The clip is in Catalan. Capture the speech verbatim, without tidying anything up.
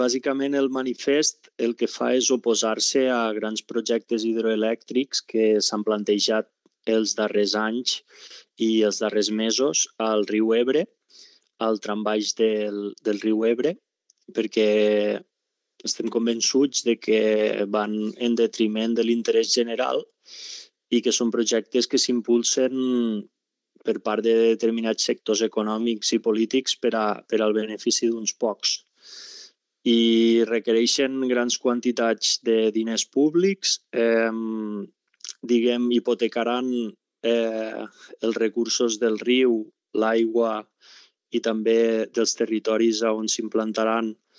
bàsicament el manifest el que fa és oposar-se a grans projectes hidroelèctrics que s'han plantejat els darrers anys i els darrers mesos al riu Ebre, al trambaix del, del riu Ebre, perquè estem convençuts de que van en detriment de l'interès general i que són projectes que s'impulsen per part de determinats sectors econòmics i polítics per, a, per al benefici d'uns pocs. I requereixen grans quantitats de diners públics, eh, diguem, hipotecaran eh, els recursos del riu, l'aigua i també dels territoris on s'implantaran